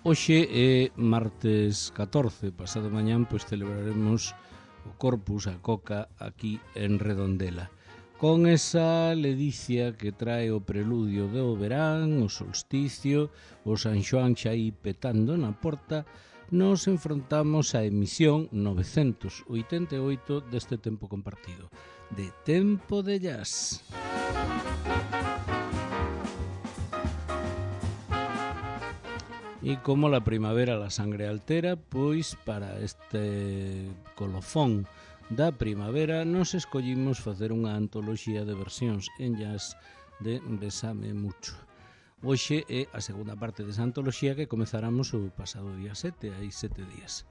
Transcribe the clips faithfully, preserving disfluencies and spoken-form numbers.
Hoxe é martes catorce, pasado mañán pois celebraremos o Corpus, a Coca, aquí en Redondela. Con esa ledicia que trae o preludio do verán, o solsticio, o San Xoán xa aí petando na porta, nos enfrontamos á emisión novecentos oitenta e oito deste tempo compartido, de Tempo de Jazz. E como la primavera la sangre altera, pois para este colofón da primavera nos escollimos facer unha antoloxía de versións en jazz de Bésame Mucho. Hoxe é a segunda parte desa antoloxía que comezáramos o pasado día sete, hai sete días.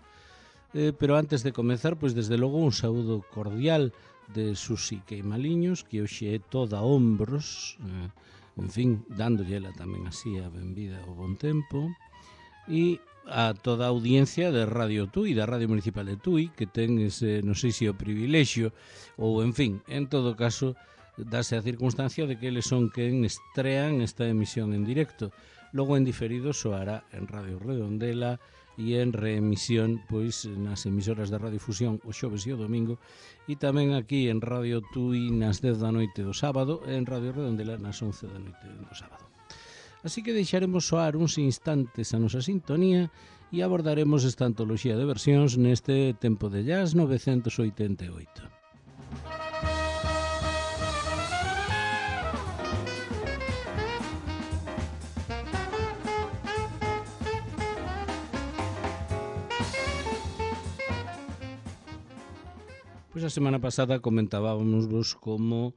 Eh, pero antes de comezar, pois desde logo un saúdo cordial de Susi Queimaliños, que hoxe é toda ombros, eh, en fin, dándolle ela tamén así a benvida ao bon tempo. E a toda a audiencia de Radio Tui, da Radio Municipal de Tui, que ten ese, non sei se o privilexio, ou en fin, en todo caso, dase a circunstancia de que eles son quen estrean esta emisión en directo. Logo en diferido soará en Radio Redondela e en reemisión pois nas emisoras de Radiofusión o xoves e o domingo, e tamén aquí en Radio Tui nas dez da noite do sábado e en Radio Redondela nas once da noite do sábado. Así que deixaremos soar uns instantes a nosa sintonía e abordaremos esta antoloxía de versións neste Tempo de Jazz novecentos oitenta e oito. Pois a semana pasada comentábamos vos como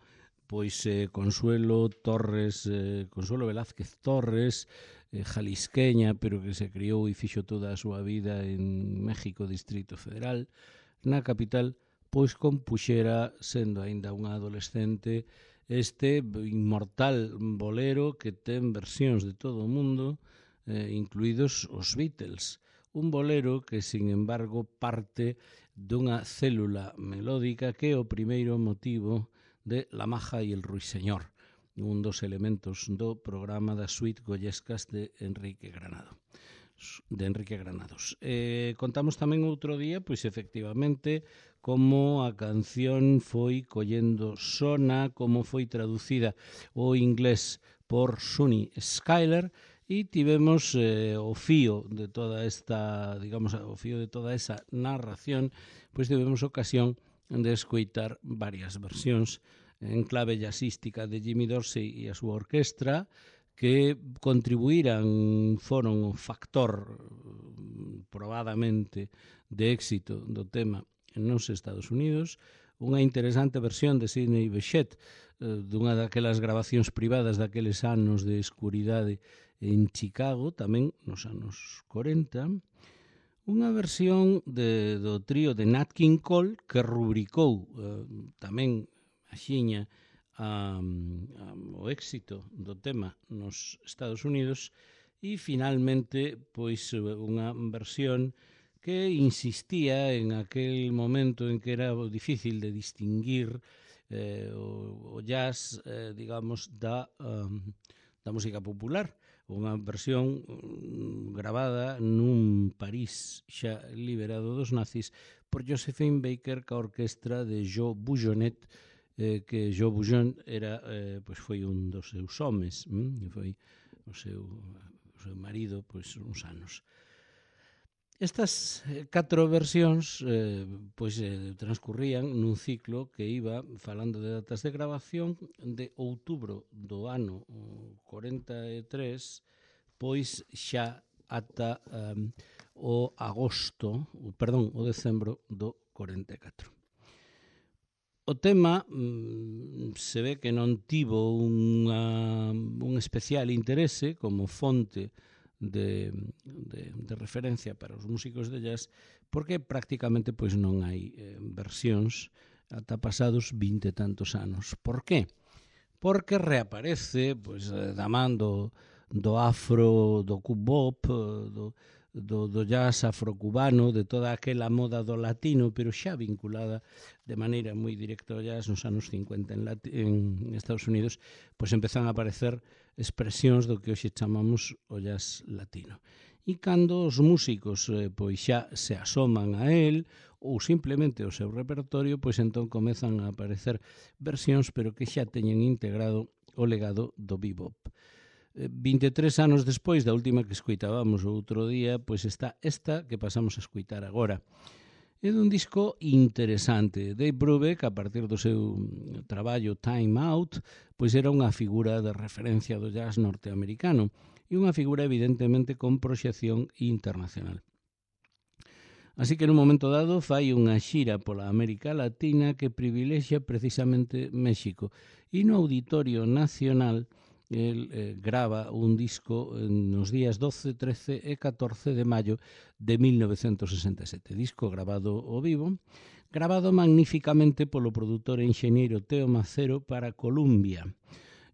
pois eh, Consuelo Torres, eh, Consuelo Velázquez Torres, eh, jalisqueña, pero que se criou e fixo toda a súa vida en México, Distrito Federal, na capital, pois compuxera, sendo aínda unha adolescente, este inmortal bolero que ten versións de todo o mundo, eh, incluídos os Beatles. Un bolero que, sin embargo, parte dunha célula melódica que é o primeiro motivo de La Maja y el Ruiseñor, un dos elementos do programa das suite goyescas de Enrique Granado. de Enrique Granados. Eh, contamos tamén outro día, pois efectivamente, como a canción foi collendo sona, como foi traducida ao inglés por Sunny Skylar, e tivemos eh, o fío de toda esta, digamos, o fío de toda esa narración, pois tivemos ocasión de escoitar varias versións en clave jazzística de Jimmy Dorsey e a súa orquestra, que contribuíran, foron o factor probadamente de éxito do tema nos Estados Unidos. Unha interesante versión de Sidney Bechet, dunha daquelas grabacións privadas daqueles anos de escuridade en Chicago, tamén nos anos corenta. Unha versión de, do trío de Nat King Cole que rubricou eh, tamén axiña a, a, o éxito do tema nos Estados Unidos, e finalmente pois unha versión que insistía en aquel momento en que era difícil de distinguir eh, o, o jazz, eh, digamos, da, um, da música popular. Unha versión gravada nun París xa liberado dos nazis por Josephine Baker ca orquestra de Joe Boujonet, eh, que Joe Boujon era, eh, pois foi un dos seus homes, hm? E foi o seu, o seu marido pois uns anos. Estas catro versións eh, pois, eh, transcurrían nun ciclo que iba falando de datas de grabación de outubro do ano corenta e tres, pois xa ata um, o agosto, perdón, o decembro do corenta e catro. O tema mm, se ve que non tivo unha, un especial interese como fonte De, de, de referencia para os músicos de jazz, porque prácticamente pois non hai eh, versións ata pasados vinte e tantos anos. Por qué? Porque reaparece pois, da man do, do afro, do cubop, do, do, do jazz afrocubano, de toda aquela moda do latino, pero xa vinculada de maneira moi directa ao jazz nos anos cincuenta en, Lati- en Estados Unidos, pois empezan a aparecer expresións do que hoxe chamamos o jazz latino. e cando os músicos eh, pois xa se asoman a el ou simplemente o seu repertorio, pois entón comezan a aparecer versións pero que xa teñen integrado o legado do bebop. vinte e tres anos despois da última que escoitábamos o outro día, pois está esta que pasamos a escoitar agora. É dun disco interesante. Dave Brubeck, a partir do seu traballo Time Out, pois era unha figura de referencia do jazz norteamericano e unha figura evidentemente con proxección internacional. Así que nun momento dado fai unha xira pola América Latina que privilexia precisamente México e no Auditorio Nacional el eh, grava un disco nos días doce, trece e catorce de maio de mil novecentos sesenta e sete. Disco grabado ao vivo, grabado magníficamente polo produtor e enxeñeiro Teo Macero para Columbia.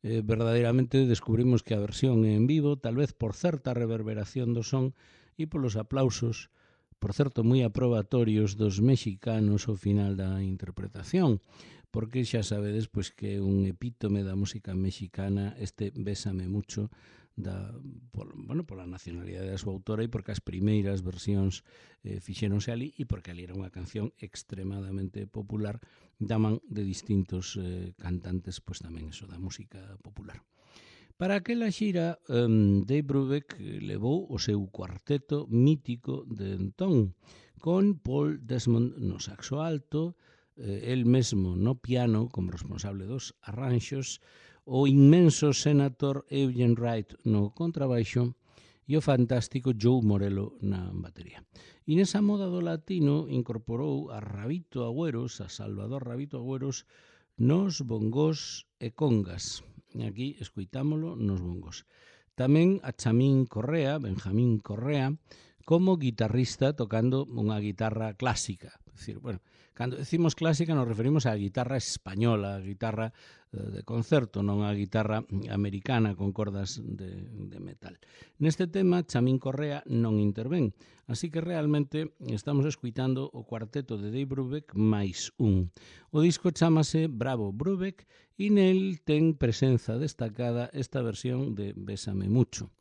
Eh, verdadeiramente descubrimos que a versión en vivo, tal vez por certa reverberación do son e polos aplausos, por certo, moi aprobatorios dos mexicanos ao final da interpretación, porque xa sabedes pois, que é un epítome da música mexicana este Bésame Mucho da, por, bueno, pola nacionalidade da súa autora e porque as primeiras versións eh, fixéronse ali e porque ali era unha canción extremadamente popular da man de distintos eh, cantantes, pois tamén eso da música popular. Para aquela xira, um, Dave Brubeck levou o seu cuarteto mítico de entón, con Paul Desmond no saxo alto, el mesmo no piano como responsable dos arranxos, o inmenso senator Eugene Wright no contrabaixo e o fantástico Joe Morello na batería. E nesa moda do latino incorporou a Rabito Agüeros, a Salvador Rabito Agüeros, nos bongos e congas. E aquí escoitámolo nos bongos. Tamén a Chamín Correa, Benjamín Correa, como guitarrista tocando unha guitarra clásica. É dicir, bueno, cando decimos clásica nos referimos á guitarra española, a guitarra de concerto, non a guitarra americana con cordas de, de metal. Neste tema, Chamín Correa non intervén, así que realmente estamos escuitando o cuarteto de Dave Brubeck máis un. O disco chamase Bravo Brubeck e nel ten presenza destacada esta versión de Bésame Mucho.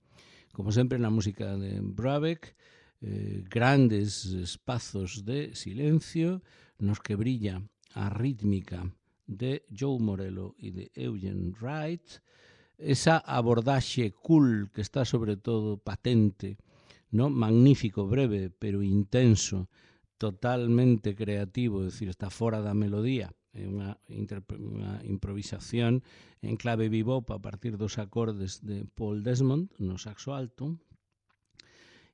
Como sempre na música de Brubeck, eh, grandes espazos de silencio nos que brilla a rítmica de Joe Morello e de Eugene Wright, esa abordaxe cool que está sobre todo patente, ¿no? Magnífico, breve, pero intenso, totalmente creativo, é dicir, está fora da melodía, é unha, unha improvisación en clave bebop a partir dos acordes de Paul Desmond no saxo alto,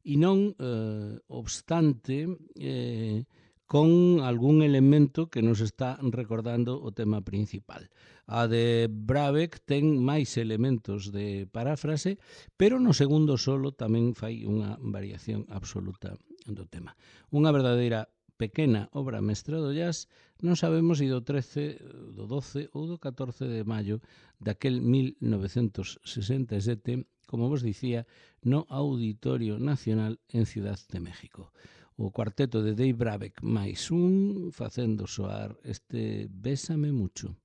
e non eh, obstante eh, con algún elemento que nos está recordando o tema principal. A de Brubeck ten máis elementos de paráfrase, pero no segundo solo tamén fai unha variación absoluta do tema. Unha verdadeira pequena obra mestra do jazz, non sabemos se do trece, do doce ou do catorce de maio daquel mil novecentos sesenta e sete, como vos dicía, no Auditorio Nacional en Ciudad de México. O cuarteto de Dave Brubeck máis un facendo soar este Bésame Mucho.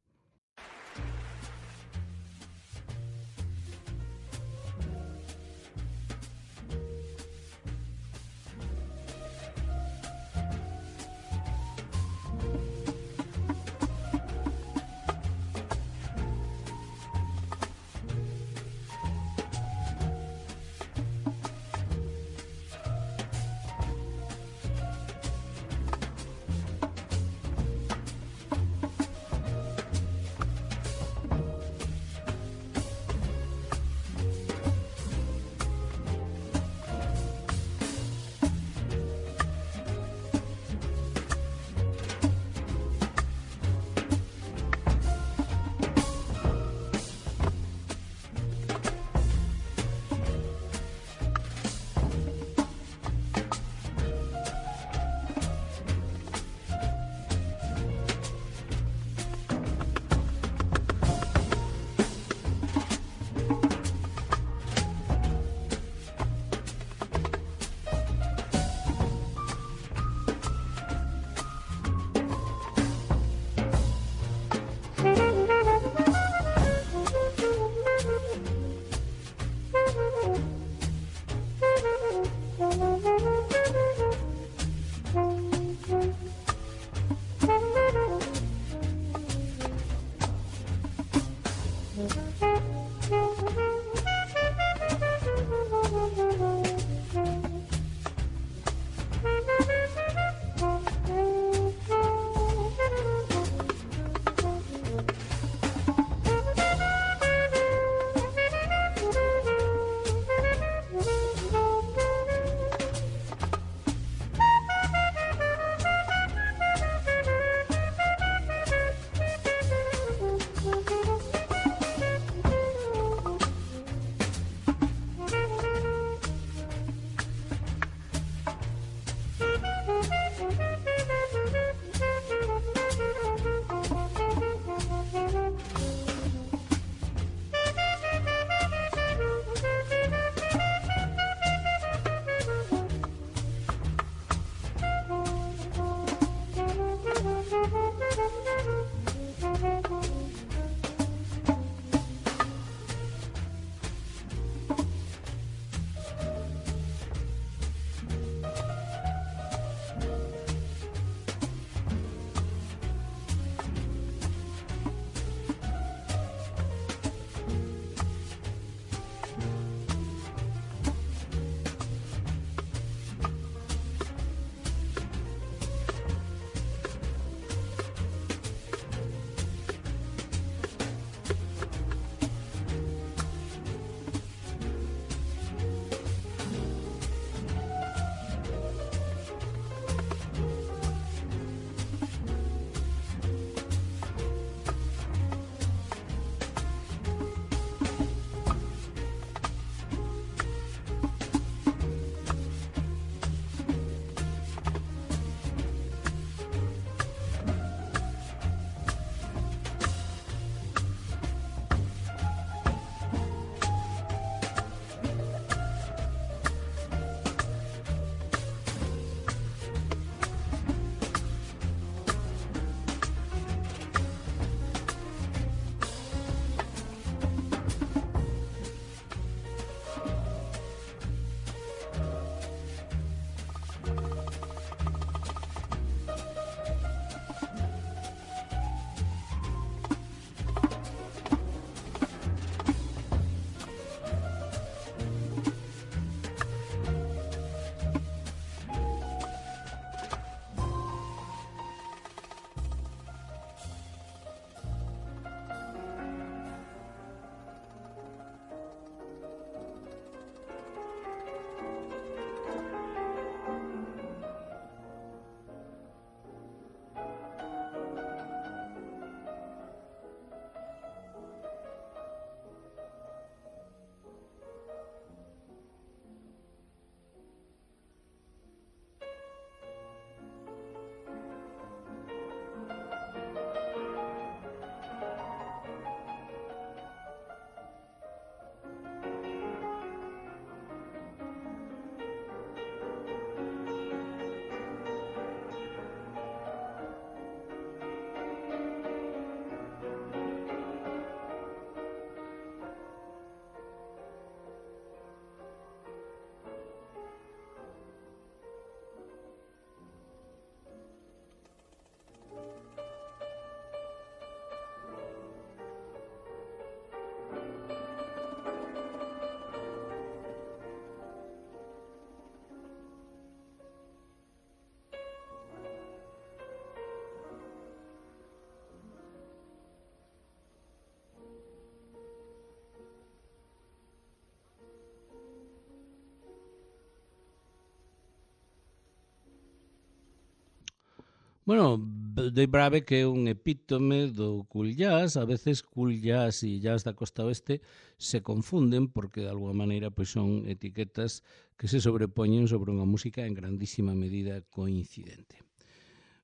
Bueno, Dave Brubeck é un epítome do cool jazz, a veces cool jazz e jazz da costa oeste se confunden porque de alguma maneira pois son etiquetas que se sobrepoñen sobre unha música en grandísima medida coincidente.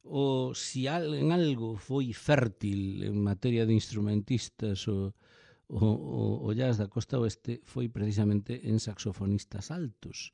O si en algo foi fértil en materia de instrumentistas o, o, o jazz da costa oeste foi precisamente en saxofonistas altos,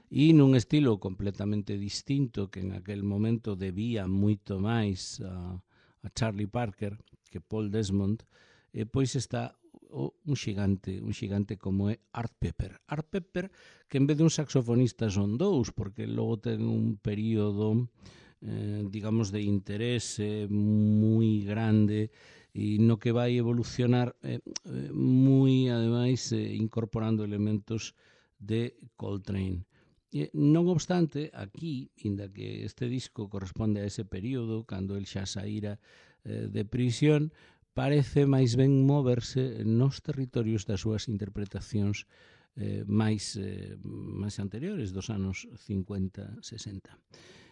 e nun estilo completamente distinto que en aquel momento debía moito máis a, a Charlie Parker que Paul Desmond, e pois está o, un xigante, un xigante como é Art Pepper. Art Pepper, que en vez de un saxofonista son dous, porque logo ten un período, eh, digamos, de interese moi grande e no que vai evolucionar eh, moi, ademais, eh, incorporando elementos de Coltrane. E, non obstante, aquí, inda que este disco corresponde a ese período, cando el xa saíra eh, de prisión, parece máis ben moverse nos territorios das súas interpretacións eh, máis, eh, máis anteriores, dos anos cincuenta, sesenta.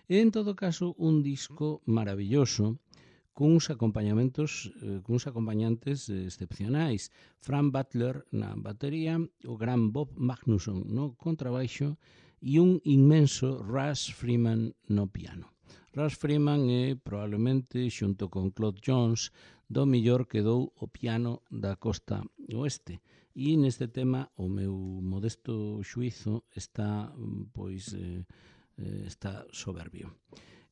E, en todo caso, un disco maravilloso, cuns acompañamentos, eh, cuns acompañantes eh, excepcionais. Frank Butler na batería, o gran Bob Magnusson no contrabaixo e un inmenso Russ Freeman no piano. Russ Freeman é probablemente, xunto con Claude Jones, do mellor que dou o piano da costa oeste. E neste tema o meu modesto xuizo está, pois, eh, está soberbio.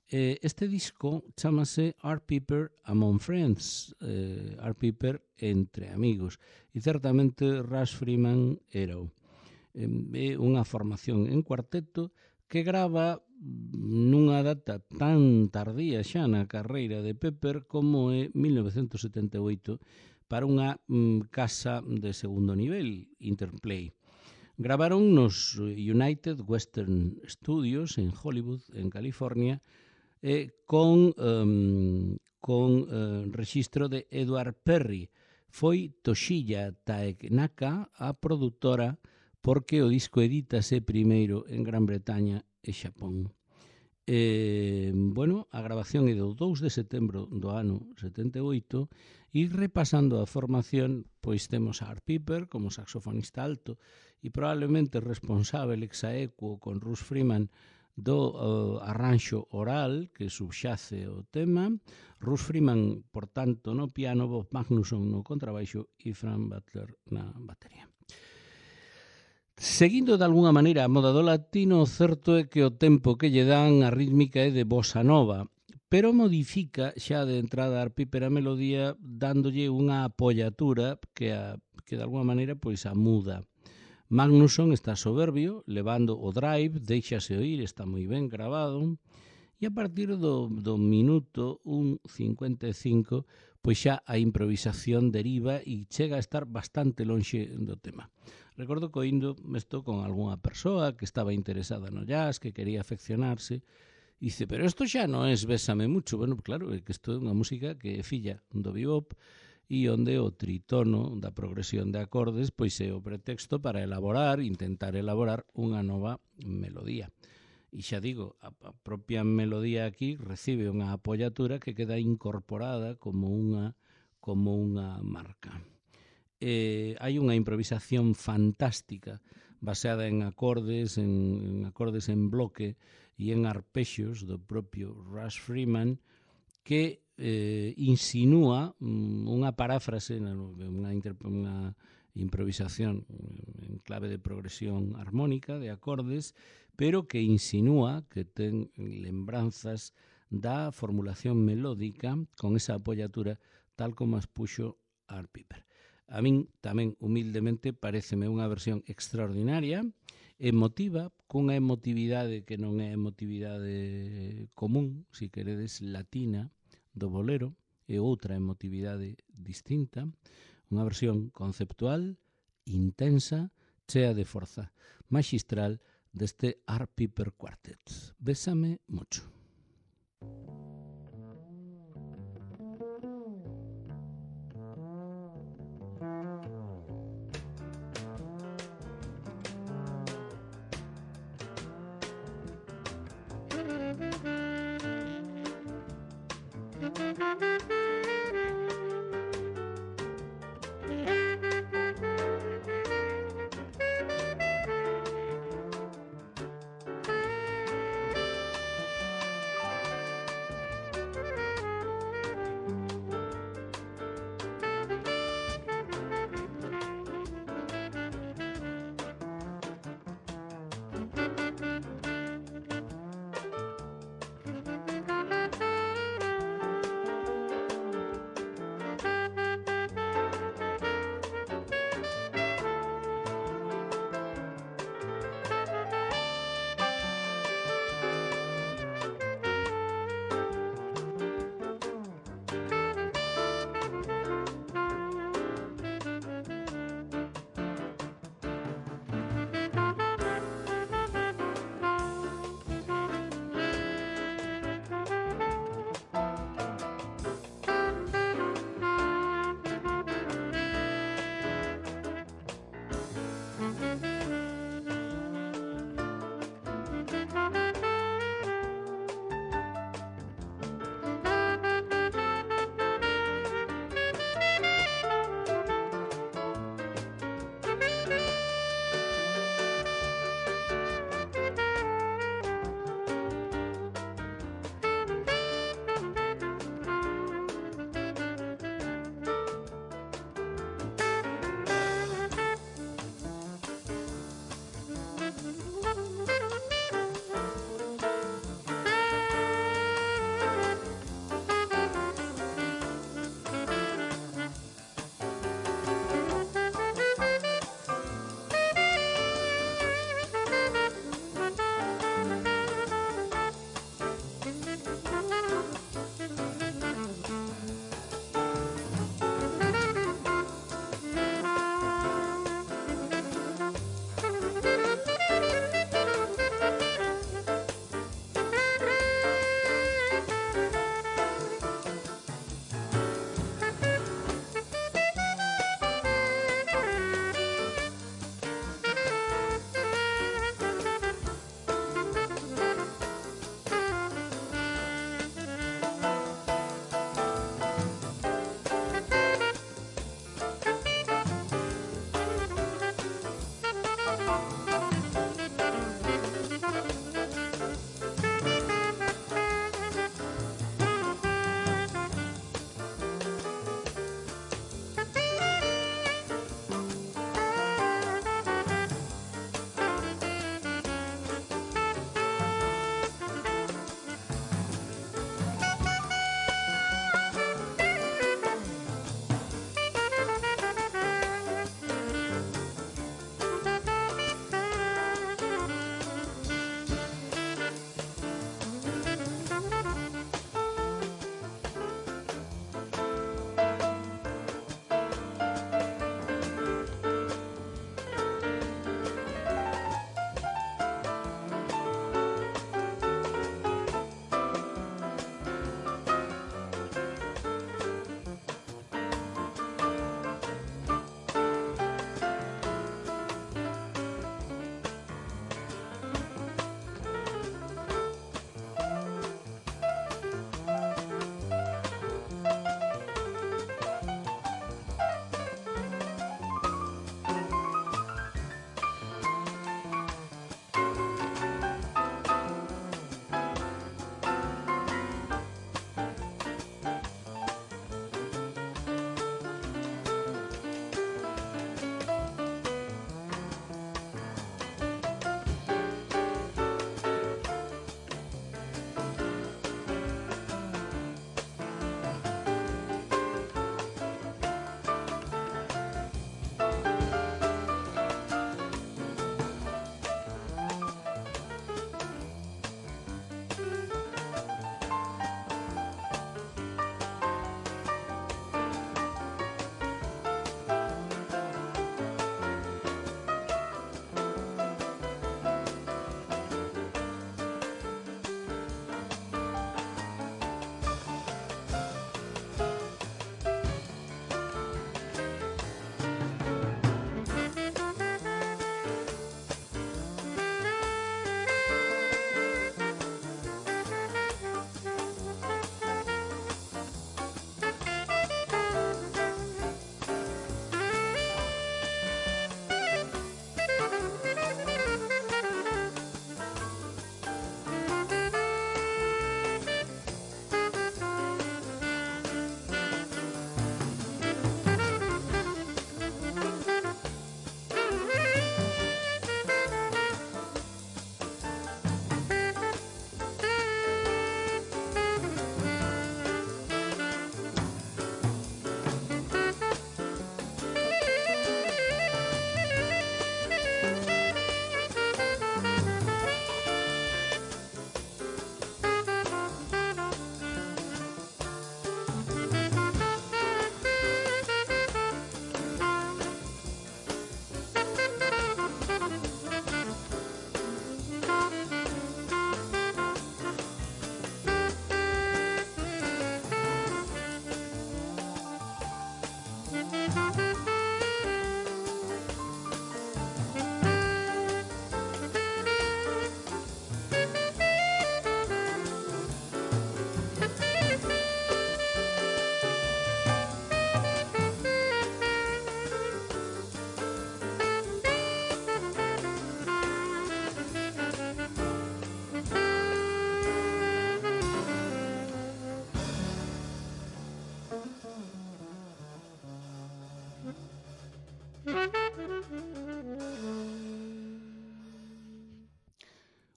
Este disco chamase Art Pepper Among Friends, eh, Art Pepper entre amigos, e certamente Russ Freeman era o. É unha formación en cuarteto que grava nunha data tan tardía xa na carreira de Pepper como é mil novecentos setenta e oito para unha mm, casa de segundo nivel, Interplay. Gravaron nos United Western Studios en Hollywood, en California, eh, con, um, con uh, registro de Edward Perry. Foi Toshiya Takenaka a produtora, porque o disco edítase primeiro en Gran Bretaña e Xapón. Eh, bueno, a grabación é do dous de setembro do ano setenta e oito e repasando a formación, pois temos a Art Pepper como saxofonista alto e probablemente responsável ex aequo con Russ Freeman do uh, arranxo oral que subxace o tema, Russ Freeman, por tanto, no piano, Bob Magnusson no contrabaixo e Frank Butler na batería. Seguindo de alguna maneira a moda do latino, o certo é que o tempo que lle dan a rítmica é de bossa nova, pero modifica xa de entrada a Pepper a melodía dándolle unha apollatura que, a, que de alguna maneira pois a muda. Magnusson está soberbio, levando o drive, deixase oír, está moi ben gravado, e a partir do, do minuto un cincuenta e cinco, pois xa a improvisación deriva e chega a estar bastante lonxe do tema. Recordo que oindo isto con algunha persoa que estaba interesada no jazz, que quería afeccionarse, e dice, pero isto xa non é Bésame mucho. Bueno, claro, é que isto é unha música que é filla do bebop e onde o tritono da progresión de acordes pois é o pretexto para elaborar, intentar elaborar unha nova melodía. E xa digo, a, a propia melodía aquí recibe unha apollatura que queda incorporada como unha, como unha marca. Eh, hai unha improvisación fantástica baseada en acordes, en, en acordes en bloque e en arpexos do propio Russ Freeman que eh, insinúa unha paráfrase, unha, unha improvisación en clave de progresión armónica de acordes, pero que insinúa que ten lembranzas da formulación melódica con esa apollatura tal como as puxo Art Pepper. A min tamén humildemente pareceme unha versión extraordinaria, emotiva, cunha emotividade que non é emotividade común, si queredes, latina, do bolero, e outra emotividade distinta, unha versión conceptual, intensa, chea de forza, magistral deste Art Pepper Quartet. Bésame mucho.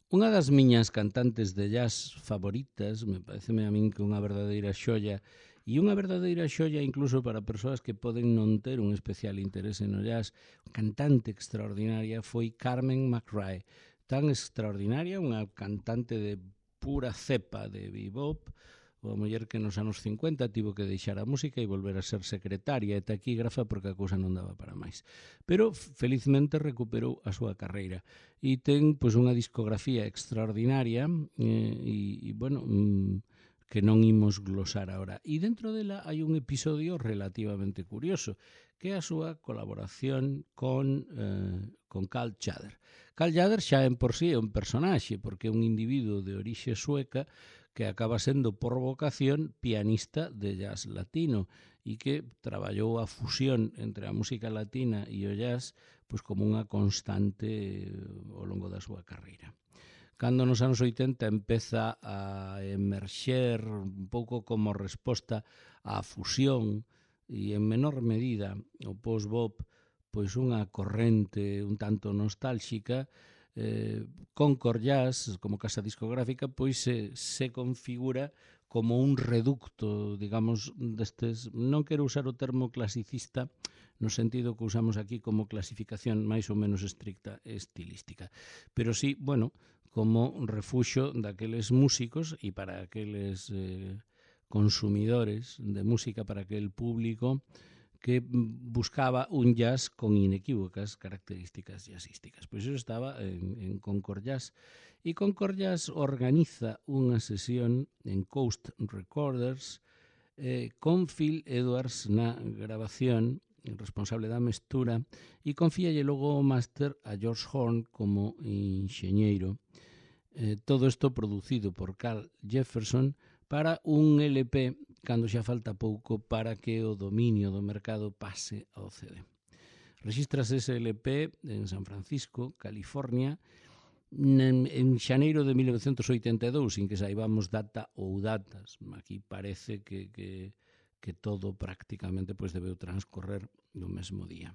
Unha das miñas cantantes de jazz favoritas, me pareceme a min que unha verdadeira xoia, e unha verdadeira xoia incluso para persoas que poden non ter un especial interese no jazz, cantante extraordinaria foi Carmen McRae. Tan extraordinaria, unha cantante de pura cepa de bebop, a muller que nos anos cincuenta tivo que deixar a música e volver a ser secretaria e taquígrafa porque a cousa non daba para máis. Pero felizmente recuperou a súa carreira e ten pois unha discografía extraordinaria eh, e, e bueno, mm, que non imos glosar agora. E dentro dela hai un episodio relativamente curioso, que é a súa colaboración con, eh, con Carl Tjader. Carl Tjader xa en por sí é un personaxe, porque é un individuo de orixe sueca que acaba sendo por vocación pianista de jazz latino e que traballou a fusión entre a música latina e o jazz pois como unha constante ao longo da súa carreira. Cando nos anos oitenta empeza a emerxer un pouco como resposta á fusión e en menor medida o post-bop, pois unha corrente un tanto nostálxica, eh, Concord Jazz, como casa discográfica, pois se, se configura como un reducto, digamos, destes, non quero usar o termo clasicista, no sentido que usamos aquí como clasificación máis ou menos estricta estilística, pero sí, bueno, como refuxo daqueles músicos e para aqueles eh, consumidores de música, para aquel público que buscaba un jazz con inequívocas características jazzísticas. Pois iso estaba en, en Concord Jazz. E Concord Jazz organiza unha sesión en Coast Recorders eh, con Phil Edwards na grabación, responsable da mestura, e confíalle logo o máster a George Horn como enxeñeiro. Eh, todo isto producido por Carl Jefferson para un L P cando xa falta pouco para que o dominio do mercado pase ao C D. Registras ese L P en San Francisco, California, en, en xaneiro de mil novecentos oitenta e dous, sin que saibamos data ou datas. Aquí parece que, que, que todo prácticamente pois, debeu transcorrer no mesmo día.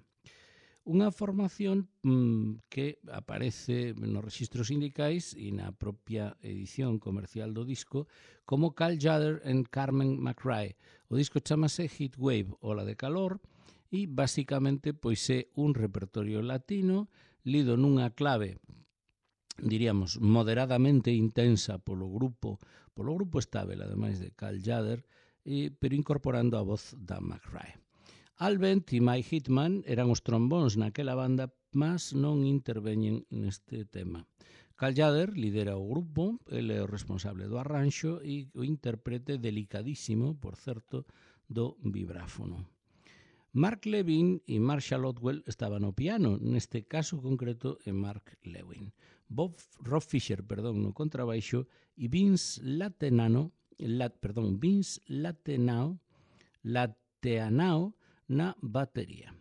Unha formación mmm, que aparece nos registros sindicais e na propia edición comercial do disco como Carl Tjader and Carmen McRae. O disco chamase Heatwave, Ola de Calor, e basicamente pois é un repertorio latino lido nunha clave, diríamos, moderadamente intensa polo grupo, polo grupo estável, ademais de Carl Tjader, e, pero incorporando a voz da McRae. Al Bent e Mike Hitman eran os trombóns naquela banda, mas non interveñen neste tema. Carl Tjader lidera o grupo, ele é o responsable do arranxo e o intérprete delicadísimo, por certo, do vibráfono. Mark Levin e Marshall Otwell estaban no piano, neste caso concreto é Mark Levin. Bob Rob Fisher, perdón, no contrabaixo e Vince Latenano, lat, perdón, Vince Latenao, Lateanao na batería.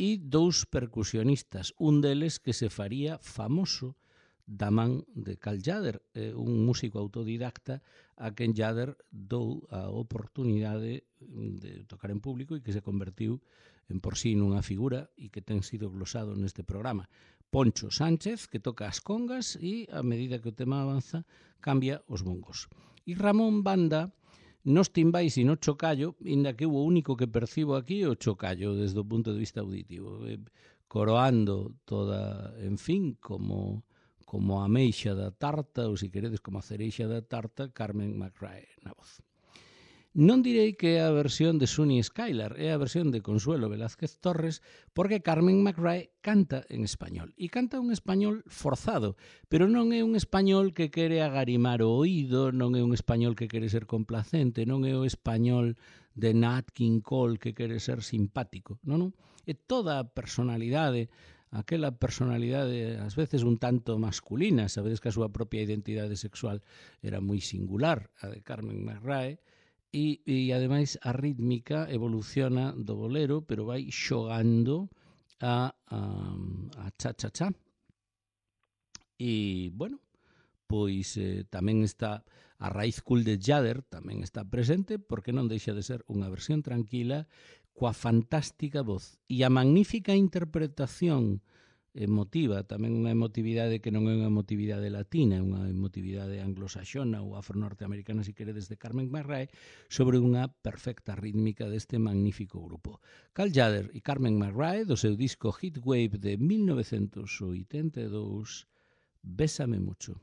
E dous percusionistas, un deles que se faría famoso da man de Carl Tjader, eh, un músico autodidacta a quen Tjader dou a oportunidade de tocar en público e que se convertiu en por sí nunha figura e que ten sido glosado neste programa. Poncho Sánchez, que toca as congas e, a medida que o tema avanza, cambia os bongos. E Ramón Banda, nos timbais e no chocallo, inda que o único que percibo aquí é o chocallo desde o punto de vista auditivo, eh, coroando toda, en fin, como, como a ameixa da tarta, ou se queredes como a cereixa da tarta, Carmen McRae na voz. Non direi que é a versión de Sunny Skylar, é a versión de Consuelo Velázquez Torres, porque Carmen McRae canta en español. E canta un español forzado, pero non é un español que quere agarimar o oído, non é un español que quere ser complacente, non é o español de Nat King Cole que quere ser simpático, non, non? É toda a personalidade, aquela personalidade ás veces un tanto masculina, sabedes que a súa propia identidade sexual era moi singular, a de Carmen McRae, E, e ademais a rítmica evoluciona do bolero, pero vai xogando a, a, a cha-cha-cha. E, bueno, pois eh, tamén está a raíz cool de Tjader, tamén está presente, porque non deixa de ser unha versión tranquila, coa fantástica voz e a magnífica interpretación emotiva, tamén unha emotividade que non é unha emotividade latina, é unha emotividade anglosaxona ou afro-norteamericana, se queredes, de Carmen McRae, sobre unha perfecta rítmica deste magnífico grupo. Cal Tjader e Carmen McRae, do seu disco Heatwave de mil novecentos oitenta e dous, Bésame mucho.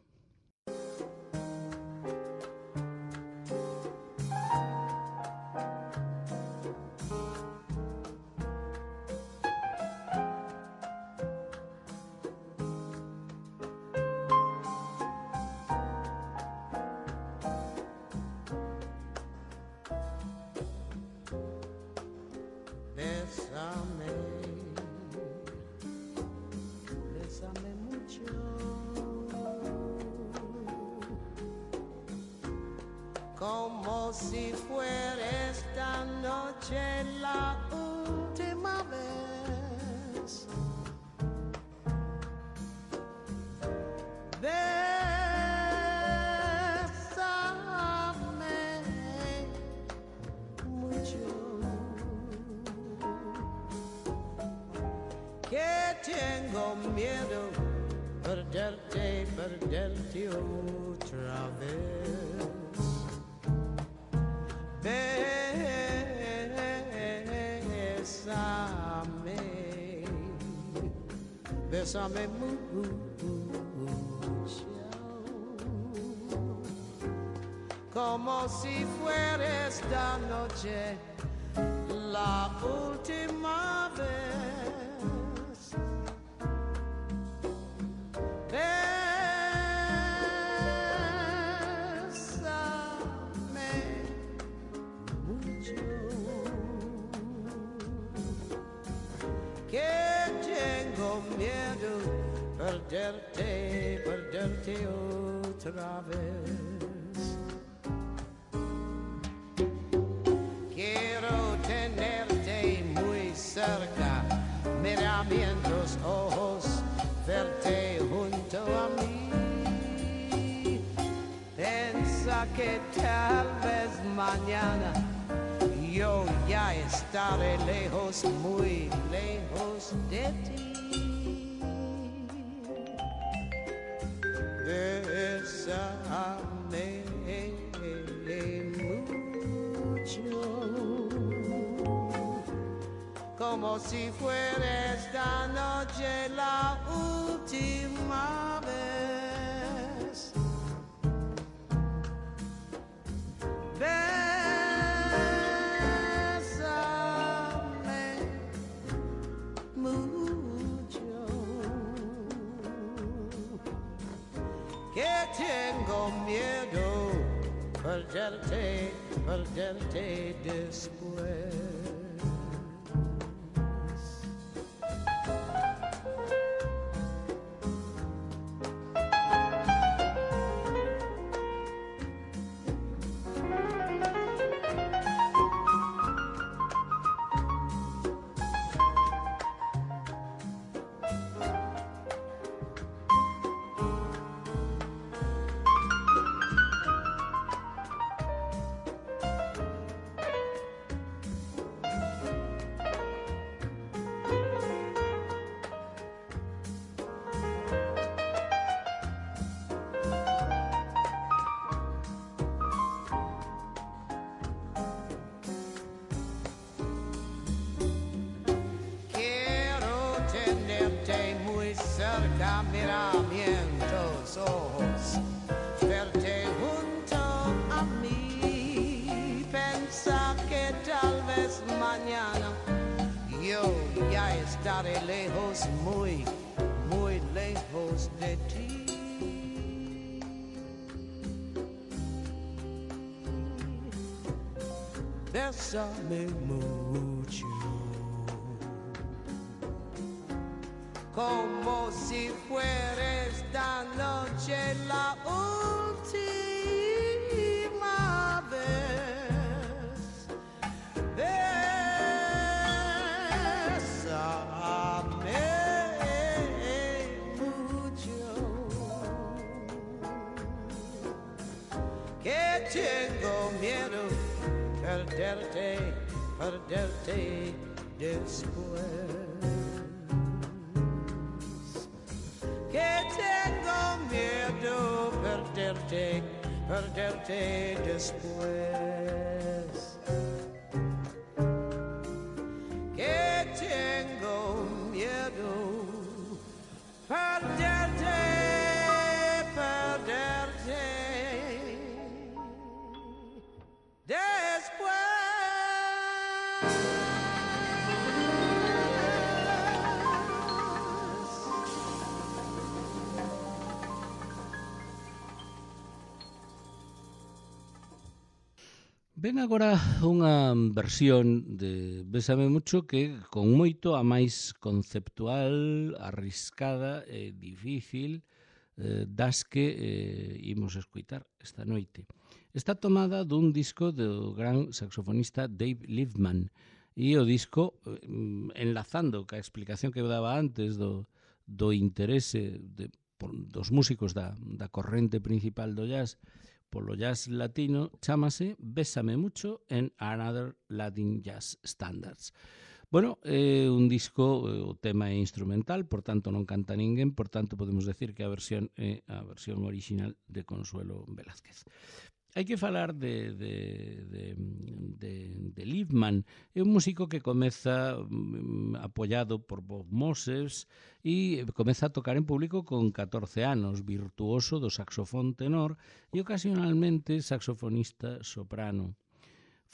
Como si fuera esta noche la última vez. Bésame mucho, que tengo miedo perderte, perderte otra vez. Bésame, bésame mucho, como si fuera esta noche la última vez. Bésame mucho, que tengo miedo perderte, perderte otra vez. Quiero tenerte muy cerca, mirarme en tus ojos, verte junto a mí. Pensa que tal vez mañana yo ya estaré lejos, muy lejos de ti. Bésame mucho, como si fuera esta noche la última vez. Bésame mucho, que tengo miedo perderte, perderte después. Mírame en los ojos, verte junto a mí. Pensa que tal vez mañana yo ya estaré lejos, muy, muy lejos de ti. Bésame mucho, como si fuera esta noche la última vez. Bésame mucho, que tengo miedo perderte, perderte después. miedo perderte, perderte después. Que tengo miedo perderte, perderte después. Ven agora unha versión de Bésame Mucho que con moito a máis conceptual, arriscada e difícil eh, das que eh, imos escuitar esta noite. Está tomada dun disco do gran saxofonista Dave Liebman e o disco, eh, enlazando ca explicación que eu daba antes do, do interese de, por, dos músicos da, da corrente principal do jazz, polo jazz latino, chámase Bésame Mucho en Another Latin Jazz Standards. Bueno, é eh, un disco, eh, o tema é instrumental, por tanto non canta ninguén, por tanto podemos decir que a versión é a versión original de Consuelo Velázquez. Hai que falar de, de, de, de, de Liebman. É un músico que comeza um, apoiado por Bob Moses e comeza a tocar en público con catorce anos, virtuoso do saxofón tenor e ocasionalmente saxofonista soprano.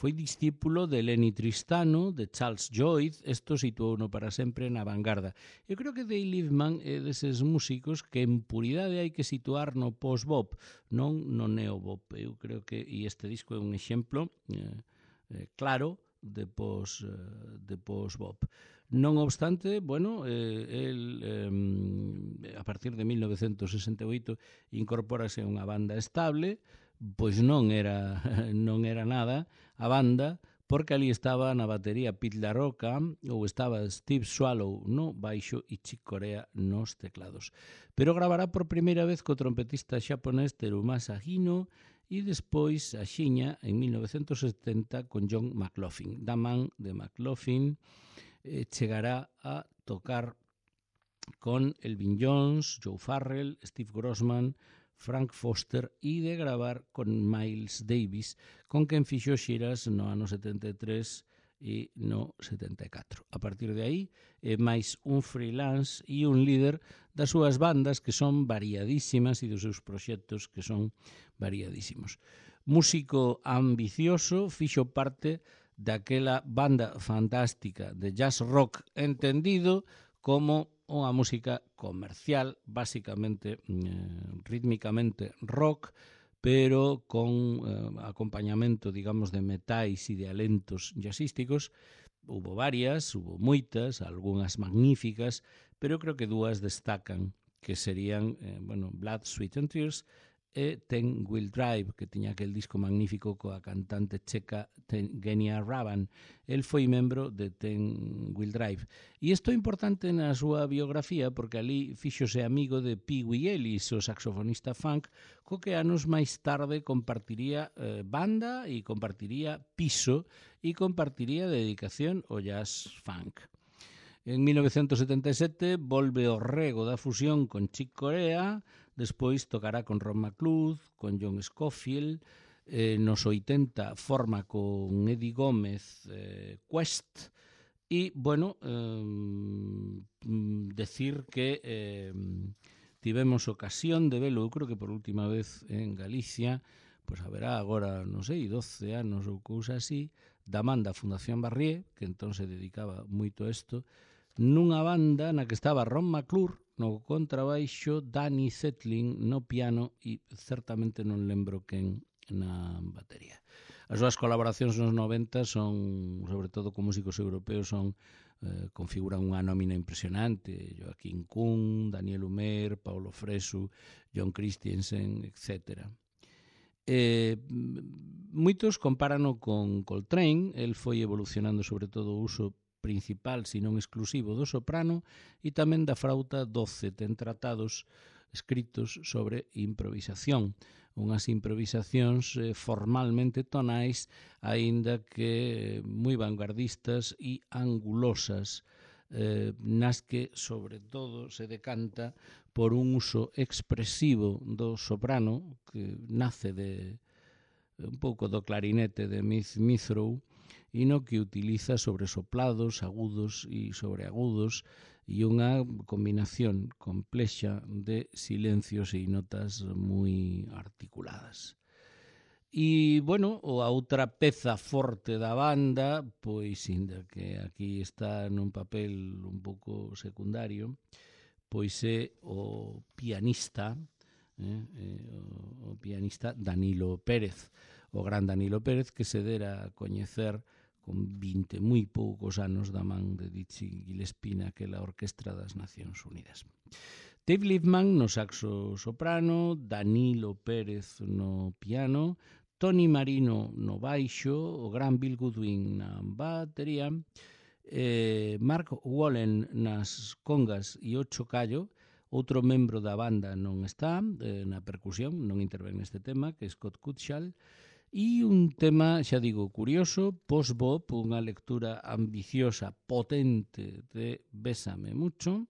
Foi discípulo de Lenny Tristano, de Charles Lloyd, isto situouno para sempre na vanguarda. Eu creo que Dave Liebman é deses músicos que en puridade hai que situar no post-bop, non no neo-bop. Eu creo que, e este disco é un exemplo eh, eh, claro de post, eh, de post-bop. Non obstante, bueno, eh, el eh, a partir de mil novecentos sesenta e oito incorpórase a unha banda estable, pois non era non era nada a banda, porque ali estaba na batería Pete LaRocca ou estaba Steve Swallow no baixo e Chick Corea nos teclados. Pero gravará por primeira vez co trompetista xaponés Terumasa Hino e despois a xiña en mil novecentos setenta con John McLaughlin. Da man de McLaughlin eh, chegará a tocar con Elvin Jones, Joe Farrell, Steve Grossman, Frank Foster e de gravar con Miles Davis, con quen fixo xiras no ano setenta e tres e no setenta e catro. A partir de aí, é máis un freelance e un líder das súas bandas que son variadísimas e dos seus proxectos que son variadísimos. Músico ambicioso, fixo parte daquela banda fantástica de jazz rock entendido como unha música comercial, básicamente, eh, rítmicamente rock, pero con eh, acompañamento, digamos, de metais e de alentos jazzísticos. Hubo varias, hubo moitas, algunhas magníficas, pero creo que dúas destacan, que serían, eh, bueno, Blood, Sweat and Tears e Ten Wheel Drive, que tiña aquel disco magnífico coa cantante checa Genia Ravan. El foi membro de Ten Wheel Drive. E isto é importante na súa biografía porque ali fíxose amigo de Pee Wee Ellis, o saxofonista funk, co que anos máis tarde compartiría eh, banda e compartiría piso e compartiría dedicación ao jazz funk. En mil novecentos setenta e sete volve ao rego da fusión con Chick Corea, despois tocará con Ron McLeod, con John Scofield, eh, nos oitenta forma con Eddie Gómez eh, Quest, e, bueno, eh, decir que eh, tivemos ocasión de velo, eu creo que por última vez en Galicia, pois haberá agora, non sei, doce anos ou cousa así, da man da Fundación Barrié, que entón se dedicaba moito a isto, nunha banda na que estaba Ron McClure no contrabaixo, Danny Zetlin no piano e certamente non lembro quen na batería. As súas colaboracións nos noventa son, sobre todo con músicos europeos, son eh, configuran unha nómina impresionante: Joaquín Kuhn, Daniel Humer, Paulo Fresu, John Christensen, etcétera. Eh, moitos compárano con Coltrane. El foi evolucionando sobre todo o uso principal, se non exclusivo, do soprano e tamén da frauta doce. Ten tratados escritos sobre improvisación, unhas improvisacións eh, formalmente tonais, aínda que moi vanguardistas e angulosas, eh, nas que sobre todo se decanta por un uso expresivo do soprano, que nace de un pouco do clarinete de Smithrow, e no que utiliza sobresoplados, agudos e sobreagudos, e unha combinación complexa de silencios e notas moi articuladas. E, bueno, a outra peza forte da banda, pois, inda que aquí está nun papel un pouco secundario, pois é o pianista, eh, o, o pianista Danilo Pérez, o gran Danilo Pérez, que se dera a coñecer con vinte moi poucos anos da man de Dizzy Gillespie naquela Orquestra das Nacións Unidas. Dave Liebman no saxo soprano, Danilo Pérez no piano, Tony Marino no baixo, o gran Bill Goodwin na batería, eh, Mark Wallen nas congas e o chocallo. Outro membro da banda non está eh, na percusión, non intervén neste tema, que é Scott Cutshall, e un tema, xa digo, curioso, post-bop, unha lectura ambiciosa, potente de Bésame Mucho,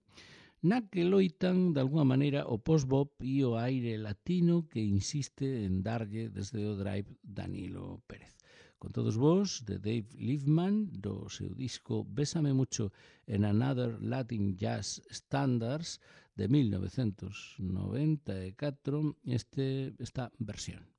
na que loitan, de alguna maneira, o post-bop e o aire latino que insiste en darlle desde o drive Danilo Pérez. Con todos vos, de Dave Liebman, do seu disco Bésame Mucho en Another Latin Jazz Standards de mil novecentos noventa e catro, este, esta versión.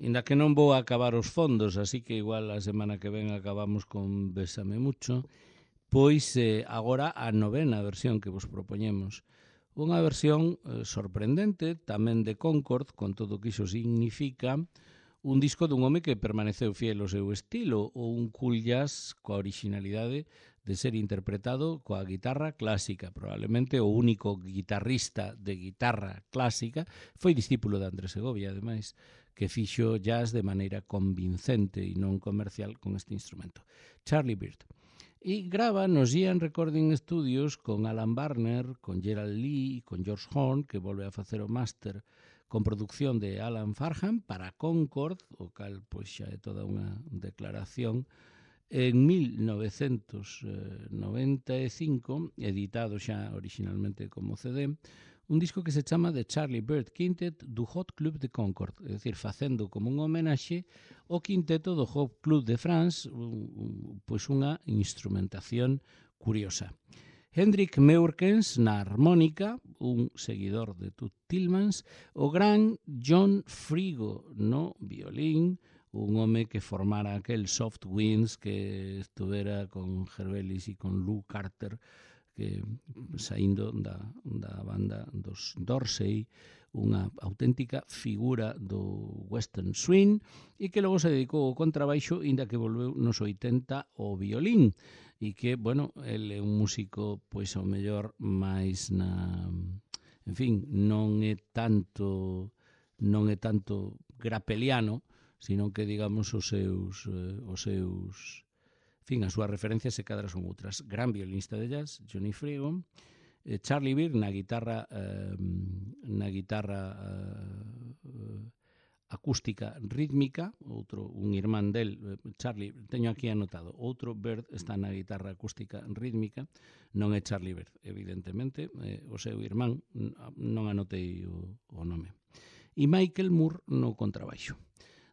Inda que non vou acabar os fondos, así que igual a semana que ven acabamos con Bésame Mucho, pois eh, agora a novena versión que vos propoñemos. Unha versión eh, sorprendente, tamén de Concord, con todo o que iso significa, un disco dun home que permaneceu fiel ao seu estilo, ou un cool jazz coa originalidade de ser interpretado coa guitarra clásica. Probablemente o único guitarrista de guitarra clásica foi discípulo de Andrés Segovia, ademais, que fixo jazz de maneira convincente e non comercial con este instrumento. Charlie Byrd. E grava nos Ian Recording Studios con Alan Barner, con Gerald Lee e con George Horn, que volve a facer o máster con producción de Alan Farham para Concord, o cal pois xa é toda unha declaración, en mil novecentos noventa e cinco, editado xa originalmente como C D, un disco que se chama The Charlie Byrd Quintet do Hot Club de Concord, é dicir, facendo como un homenaxe o quinteto do Hot Club de France, un, un, pois unha instrumentación curiosa. Hendrik Meurkens na armónica, un seguidor de Tut Tillmans, o gran John Frigo no violín, un home que formara aquel Soft Winds que estuvera con Herbelis e con Lou Carter, que saindo da, da banda dos Dorsey, unha auténtica figura do western swing, e que logo se dedicou ao contrabaixo, inda que volveu nos oitenta ao violín, e que, bueno, ele é un músico, pois, ao mellor, máis na... En fin, non é tanto non é tanto grapeliano, sino que, digamos, os seus eh, os seus fin, as súas referencias se cadra son outras. Gran violinista de jazz, Johnny Frigo, eh, Charlie Byrd na guitarra eh, na guitarra eh, acústica rítmica, outro, un irmán del, Charlie, teño aquí anotado, outro Byrd está na guitarra acústica rítmica, non é Charlie Byrd, evidentemente, eh, o seu irmán, non anotei o, o nome. E Michael Moore no contrabaixo.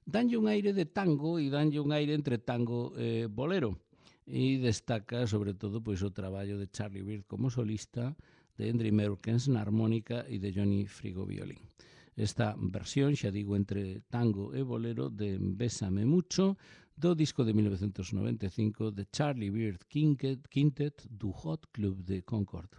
Danlle un aire de tango e danlle un aire entre tango e bolero. E destaca, sobre todo, pois, o traballo de Charlie Byrd como solista, de Hendrik Meurkens na armónica e de Johnny Frigo violín. Esta versión, xa digo, entre tango e bolero de Bésame Mucho, do disco de mil novecentos noventa e cinco de Charlie Byrd Quintet, Quintet do Hot Club de Concord.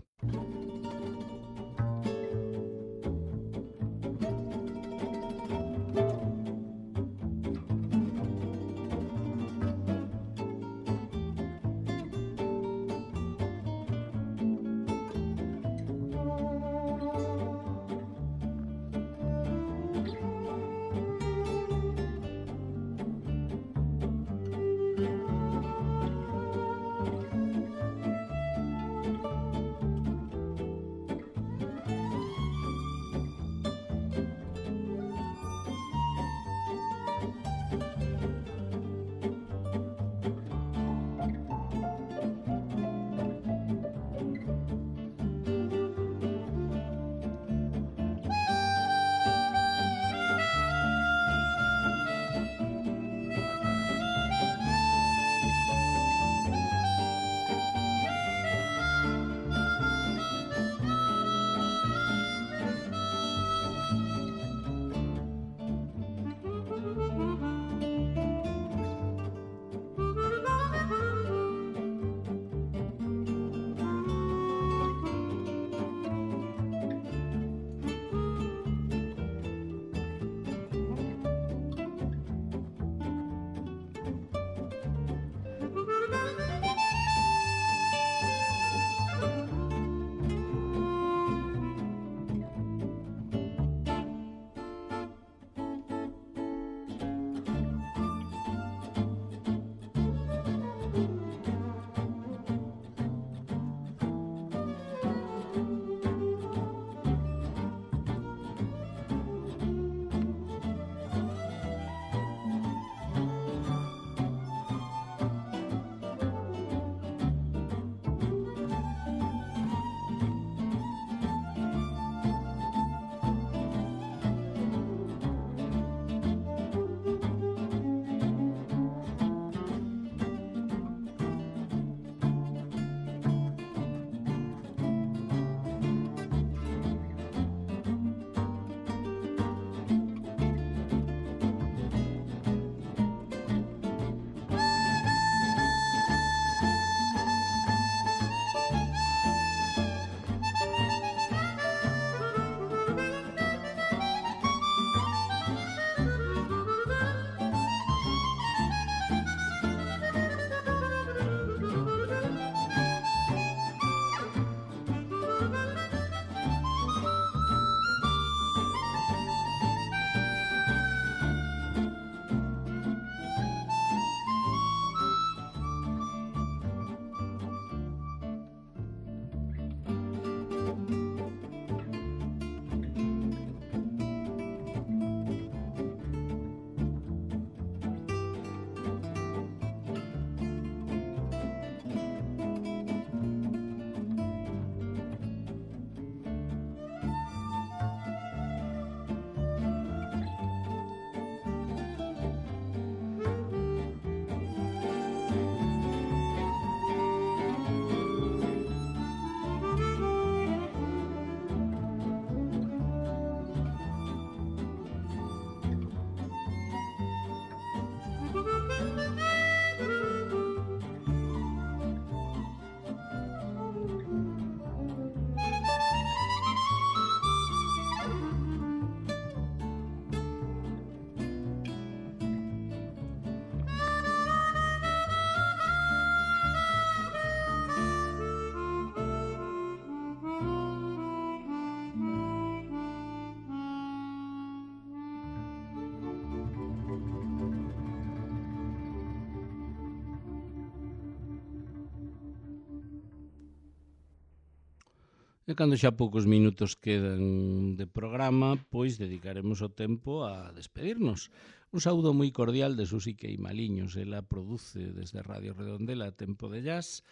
E cando xa poucos minutos quedan de programa, pois dedicaremos o tempo a despedirnos. Un saúdo moi cordial de Susi Queimaliños. Ela produce desde Radio Redondela Tempo de Jazz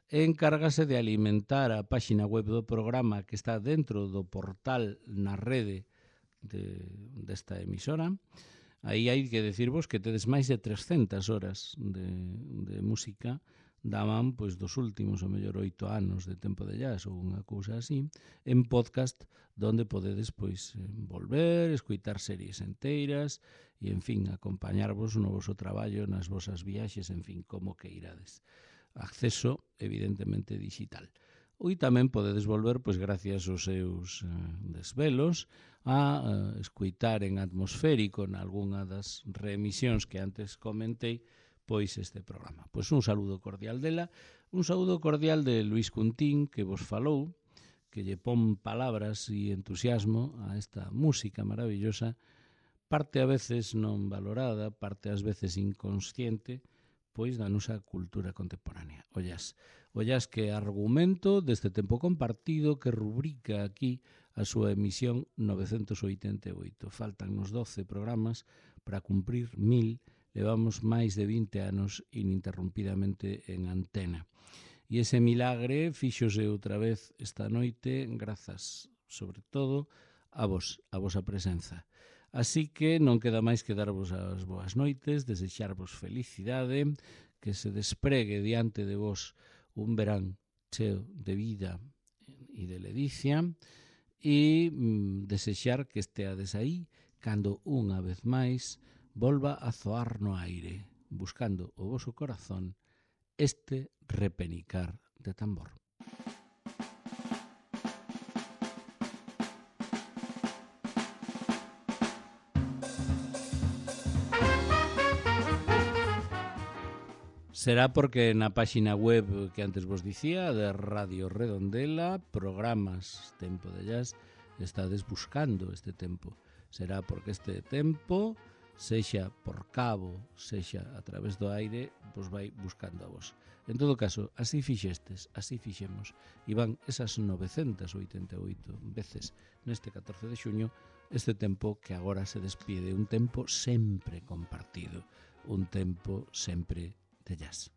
e encárgase de alimentar a páxina web do programa que está dentro do portal na rede de, desta emisora. Aí hai que decirvos que tedes máis de trescentas horas de, de música daban pois dos últimos, o mellor, oito anos de Tempo de Jazz ou unha cousa así, en podcast, donde podedes pois volver, escoitar series enteiras e, en fin, acompañarvos no voso traballo, nas vosas viaxes, en fin, como que irades. Acceso, evidentemente, digital. E tamén podedes volver, pois gracias aos seus eh, desvelos, a eh, escoitar en atmosférico nalgúna das reemisións que antes comentei, pois este programa. Pois un saúdo cordial dela, un saúdo cordial de Luis Cuntín, que vos falou, que lle pon palabras e entusiasmo a esta música maravillosa, parte a veces non valorada, parte ás veces inconsciente, pois da nosa cultura contemporánea. O jazz. O jazz que é argumento deste tempo compartido que rubrica aquí a súa emisión novecentos oitenta e oito. Faltan nos doce programas para cumprir mil, levamos máis de vinte anos ininterrumpidamente en antena. E ese milagre fíxose outra vez esta noite grazas, sobre todo, a vos, a vosa presenza. Así que non queda máis que darvos as boas noites, desexarvos felicidade, que se despregue diante de vos un verán cheo de vida e de ledicia e mm, desexar que esteades aí cando unha vez máis volva a zoar no aire, buscando o voso corazón este repenicar de tambor. Será porque na páxina web que antes vos dicía, de Radio Redondela, programas Tempo de Jazz, estades buscando este tempo. Será porque este tempo, sexa por cabo, sexa a través do aire, vos vai buscando a vos. En todo caso, así fixestes, así fixemos. E van esas novecentas oitenta e oito veces neste catorce de xuño, este tempo que agora se despide, un tempo sempre compartido, un tempo sempre de jazz.